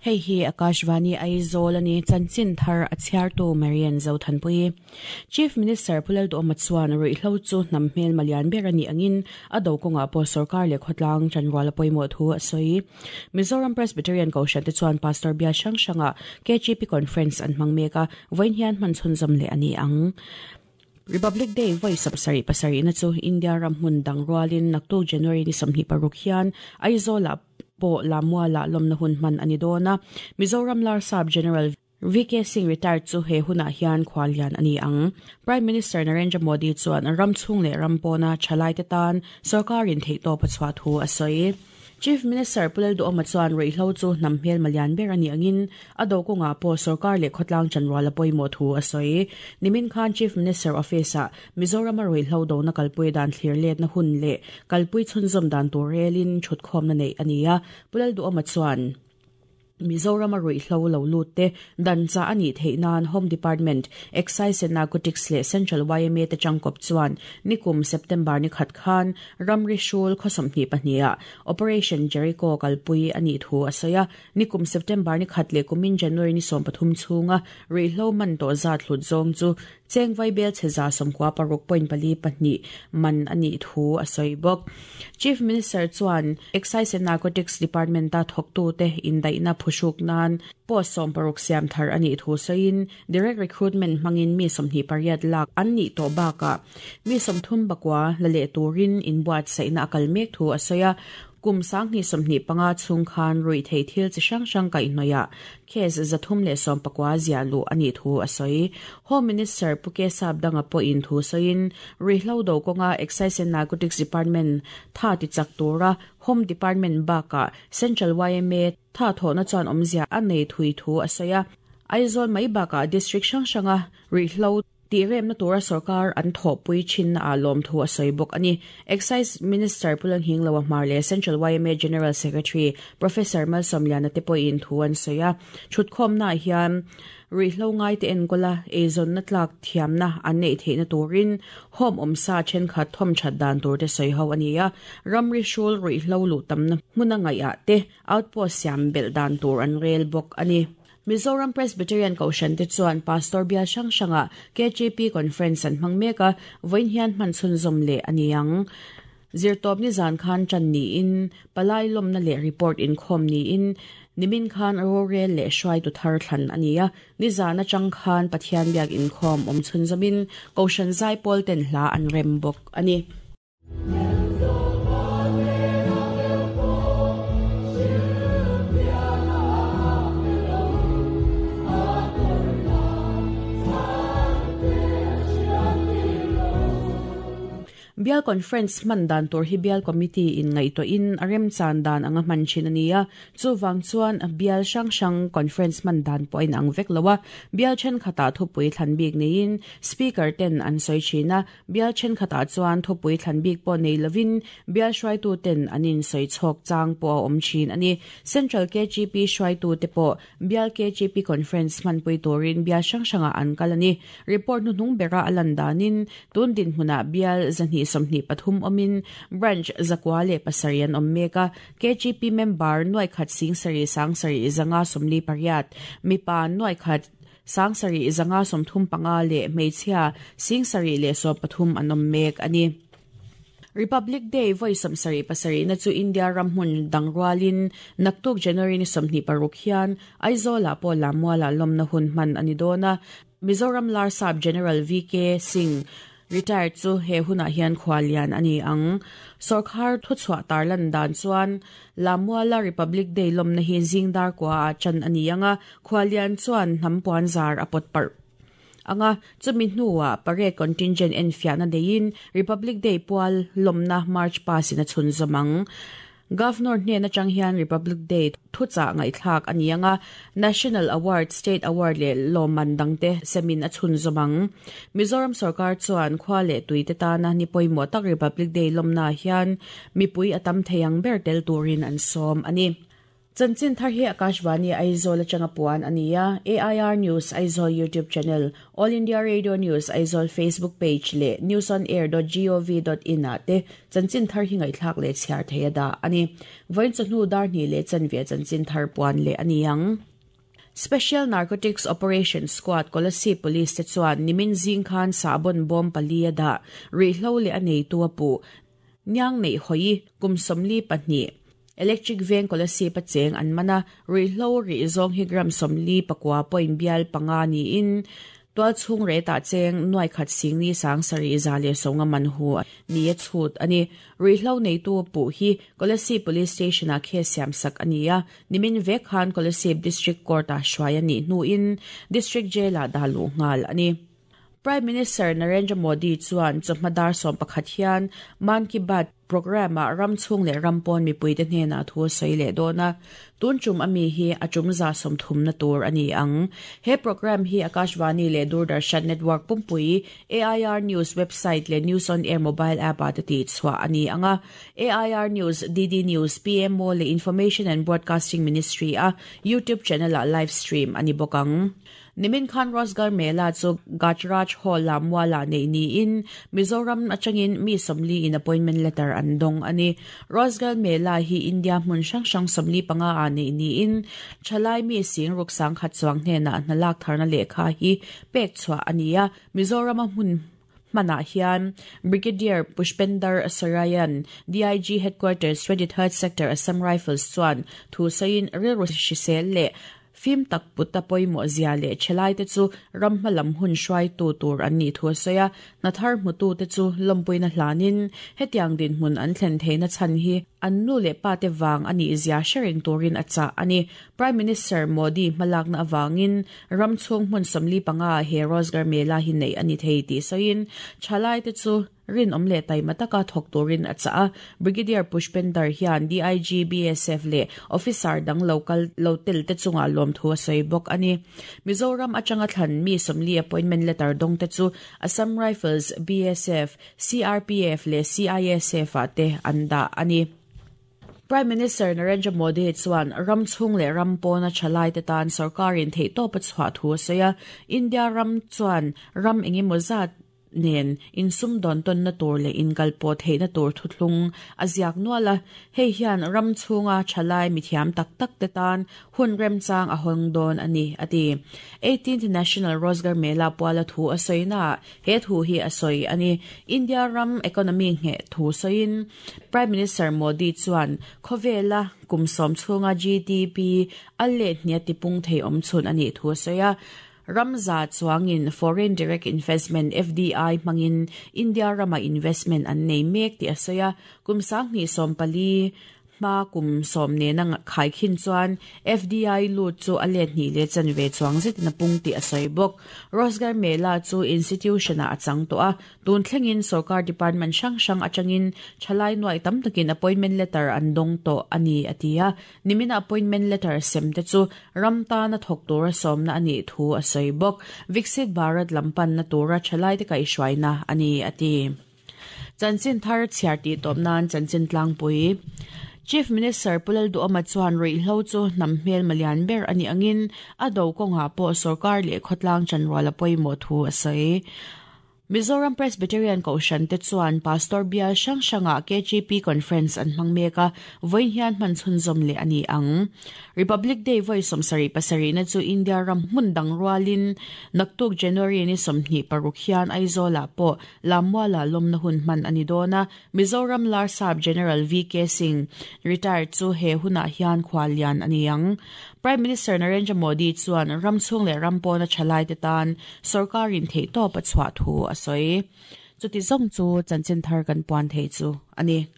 Hei hi Akashvani Aizawl a ni, chanchin thar a chhiartu Marian Zothanpui. Chief Minister Pu Lalduhawma chuan ruihhlo chu hnam hmelma lian ber a nih angin a do kawngah pawh sorkar leh khawtlang chanrual a pawimawh thu a sawi. Mizoram Presbyterian Kohhran te chuan Pastor bial hrang hrangah KGP Conference an hmang mek a, vawiin hian hman chhunzawm leh a ni ang. Republic Day vawi sawmsarih pasarihna chu India ram hmun dang rualin naktuk January ni 26 hian Aizawlah pawh Lamualah lawmna hun hman a ni dawn a. Mizoram Larsap General VK Singh retired chu he hunah hian khuallian a ni ang. Prime Minister Narendra Modi chuan ram chhung leh ram pawna thalaite tan sorkarin theihtawp a chhuah thu a sawi. Chief Minister Pu Lalduhawma chuan ruihhlo chu hnam hmelma lian ber a nih angin a do kawngah pawh sorkar leh khawtlang chanrual a pawimawh thu a sawi. Nimin khan Chief Minister Office-ah Mizorama ruihhlo dona kalpui dan thlir letna hun leh kalpui chhunzawm dan tur relin thutkhawmna neih a ni a, Pu Lalduhawma chuan, Mizorama ruihhlo lo lut te dan chah a nih theih nan Home Department, Excise and Narcotics leh Central yma te tangkawp chuan nikum September ni khat khan ramri hrul khaw 22 ah Operation Jericho kalpui a nih thu a sawi a. Nikum September ni khat leh kumin January ni 13 chhunga ruihhlo man tawh zat hlut zawng chu Cheng vaibel chhe 96.42 man a nih thu a sawi bawk. Chief Minister chuan Excise and Narcotics Department-a thawktute indaihna phuhruk nan post 60 siam thar a nih thu sawiin direct recruitment hmangin mi 28 lak an nih tawh bakah mi 39 la leh turin inbuatsaihna a kal mek thu a sawi a. Kum 2025 chhung khan ruihtheih thil chi hrang hrang kaihhnawihah Case 319 ziah luh a nih thu a sawi. Home Minister Pu Kesap Danga pawhin thu sawiin, ruihhlo do kawnga Excise and Narcotics Department tha ti chak tura Home Department bakah Central yma tha thawhna chuan awmzia a nei thui thu a sawi a. Aizawl mai bakah District hrang hranga ruihhlo Tih remna tura sorkar an thawhpui thinna ah lawmthu a sawi bawk a ni. Excise Minister Pu Lalnghingloa Hmar leh Central yma General Secretary Professor Malsawmliana te pawhin thu an sawi a. Thutkhawmnaah hian ruihhlo ngaite enkawla eizawnna tlak thiamna an neih theihna turin home awmsa thenkhat thawmthat dan turte sawi ho a ni a. Ramri hrul ruihhlo luh tamna hmuna ngaihah te outpost siam belh dan tur an rel bawk a ni. Mizoram Presbyterian Kohhran te chuan Pastor bial hrang hrangah KGP Conference an hmang mek a, vawiin hian hman chhunzawm leh a ni ang. Zirtawp nizan khan tan niin, palai lawmna leh report inkhawm niin, nimin khan rorel leh hruaitu thar thlan a ni a, nizan atang khan Pathian biak inkhawm awm chhunzawmin Kohhran zaipawl ten hla an rem bawk a ni. Bial Conference hman dan tur hi Bial Committee in ngaihtuahin a remchan dan anga hman thin a ni a. Chuvang chuan bial hrang hrang conference hman dan pawh a inang vek lo a. Bial thenkhatah thupui thlan bik neiin Speaker ten an sawi thin a. Bial thenkhatah chuan thupui thlan bik pawh nei lovin bial hruaituten an insawi chhawk chang pawh a awm thin a ni. Central KGP hruaitute pawh bial KGP Conference hmanpui turin bial hrang hrangah an kal a ni. Report hnuhnung bera a lan danin tun dinhmunah bial 223 awmin Branch 907 an awm mek a. KGP member nuaikhat 7 7 548, mipa nuaikhat 7535 leh hmeichhia 713 an awm mek a ni. Republic Day vawi 77 na chu India ram hmun dang rualin naktuk January ni 26 hian Aizawlah pawh Lammualah lawmna hun hman a ni dawn a. Mizoram Larsap General VK Singh retired chu he hunah hian khuallian a ni ang. Sorkar thuchhuah tarlan dan chuan Lammuala Republic Day lawmna hi zing dar kuaah chan a ni ang a, Khuallian chuan hnam puan zar a pawt parh ang a, chumi hnuah parade contingent enfiahna neiin Republic Day pual lawmna March past in a chhunzawm ang. Governor hnen atang hian Republic Day thuchah ngaihthlak a ni ang a, National Award, State Award leh lawmman dangte semin a chhunzawm ang. Mizoram sorkar chuan khua leh tuite tana ni pawimawh tak Republic Day lawmnaah hian mipui a tam thei ang ber tel turin an sawm a ni. Chanchin thar hi Akashvani Aizawl atanga puan a ni a, AIR News Aizawl YouTube channel, All India Radio News Aizawl Facebook page leh newsonair.gov.in ah te chanchin thar hi ngaihthlak leh chhiar thei a dah a ni. Vawiin chawhnu dar hnih leh chanve chanchin thar puan leh a ni ang. Special Narcotics Operation Squad Kolasib Police te chuan nimin zing khan sahbawn bawm pali a dah rihlo leh a neitu a puh Niang neih hawi kum 42 Electric Veng Kolasib a cheng an man a, ruihhlo rih zawng hi gram 44 point bial panga niin tual chhung retah cheng nuai khat singni sang sarih za leh sawnga man hu ni a chhut a ni. Ruihhlo neitu puh hi Kolasib Police Station-ah case siam sak a ni a, nimin vek khan Kolasib District Court-ah hruai a nih hnuin District Jail-ah dah luh nghal a ni. Prime Minister Narendra Modi chuan chawhma dar 11 hian Mann Ki Baat programme-ah ram chhung leh ram pawn mipuite hnenah thu a sawi leh dawn a, tun tum ami hi a tum 30 na tur a ni ang. He programme hi Akashvani leh Doordarshan network pumpui, AIR News website leh News on Air mobile app-ah te tihchhuah a ni ang a. AIR News, DD News, PMO leh Information and Broadcasting Ministry-a YouTube channel-ah live stream a ni bawk ang. Nimin khan Rozgar Mela chu Gajraj Hall-ah mualah neih niin Mizoram atangin mi 40 in appointment letter an dawng a ni. Rozgar Mela hi India hmun hrang hrang 45 ah neih niin thalai mi sing ruk sang khat chuang hnenah hna lak tharna lehkha hi pek chhuah a ni a, Mizorama hmun hmanah hian Brigadier Pushpender Sarayan, DIG Headquarters, 23rd Sector, Assam Rifles chuan thu sawiin rilru hrisel leh fim tak put a pawimawh zia leh thelai te chu ram hma lam hun hruaitu tur an nih thu a sawi a, hna thar hmutu te chu lawmpuina hlanin hetiang dinhmun an thlen theihna chhan hi an nu leh pa te vang a nih zia hre reng turin a chah a ni. Prime Minister Modi hmalakna avangin ram chhung hmun 45 ah he Rozgar Mela hi neih a ni thei tih sawiin thalai te chu rinawm leh taima taka thawk turin a chah a. Brigadier Pushpender hian DIG, BSF leh officer dang lo kal lo tel te chungah lawmthu a sawi bawk a ni. Mizoram atanga thlan mi 40 appointment letter dawng te chu Assam Rifles, BSF, CRPF leh CISF ah te an dah a ni. Prime Minister Narendra Modi chuan ram chhung leh ram pawna thalai te tan sarkarin theihtawp a chhuah thu a sawi a. India ram chuan ram engemaw zat nen insum dawn tawnna tur leh inkal pawh theihna tur thuthlung a ziak nual a, hei hian ram chhunga thalai mithiam tak tak te tan hun remchang a hawng dawn a ni, a ti. 18th National Rozgar Mela puala thu a sawina he thu hi a sawi a ni. India ram economy nge thu sawiin Prime Minister Modi chuan khawvela kum sawm chhunga GDP a leh hnia tipung thei awm chhun a nih thu a sawi a. Ramza chuangin Foreign Direct Investment, FDI, hmangin India rama investment an nei mek tih a sawi a, kum sanghnih 14 hma kum sawm nena khai khin chuan FDI lut chu a let hnih leh chanve chuang zetin a pung tih a sawi bawk. Rozgar Mela chu institution-ah a chang tawh a, tun thlengin sarkar department hrang hrang atangin thalai nuai tam takin appointment letter an dawng tawh a ni, a ti a. Nimina appointment letter sem te chu ram tana thawk tura sawmna a nih thu a sawi bawk. Viksit Bharat lam panna tura thalai te kaihhruaina a ni, a ti. Chanchin thar chhiar tih tawp nan chanchin tlangpui. Chief Minister Pu Lalduhoma chuan ruihhlo chu hnam hmel malian ber a nih angin a do kawngah pawh sarkar leh khawtlang chanrual a pawimawh thu a sawi. Mizoram Presbyterian Kohhran te chuan Pastor Bial hrang hrangah KGP Conference an hmang mek a, vawiin hian hman chhunzawm leh a ni ang. Republic Day vawi 77 na chu India ram hmun dang rualin naktuk January ni 26 hian Aizawlah pawh Lammuala lawmna hun hman a ni dawn a, Mizoram Larsap General VK Singh retired chu he hunah hian khual lian a ni ang. Prime Minister Narendra Modi chuan ram chhung leh ram pawna thalai te tan sarkarin theihtawp a chhuah thu a sawi. Chuti zawng chu chanchin thar kan puan thei chu a ni.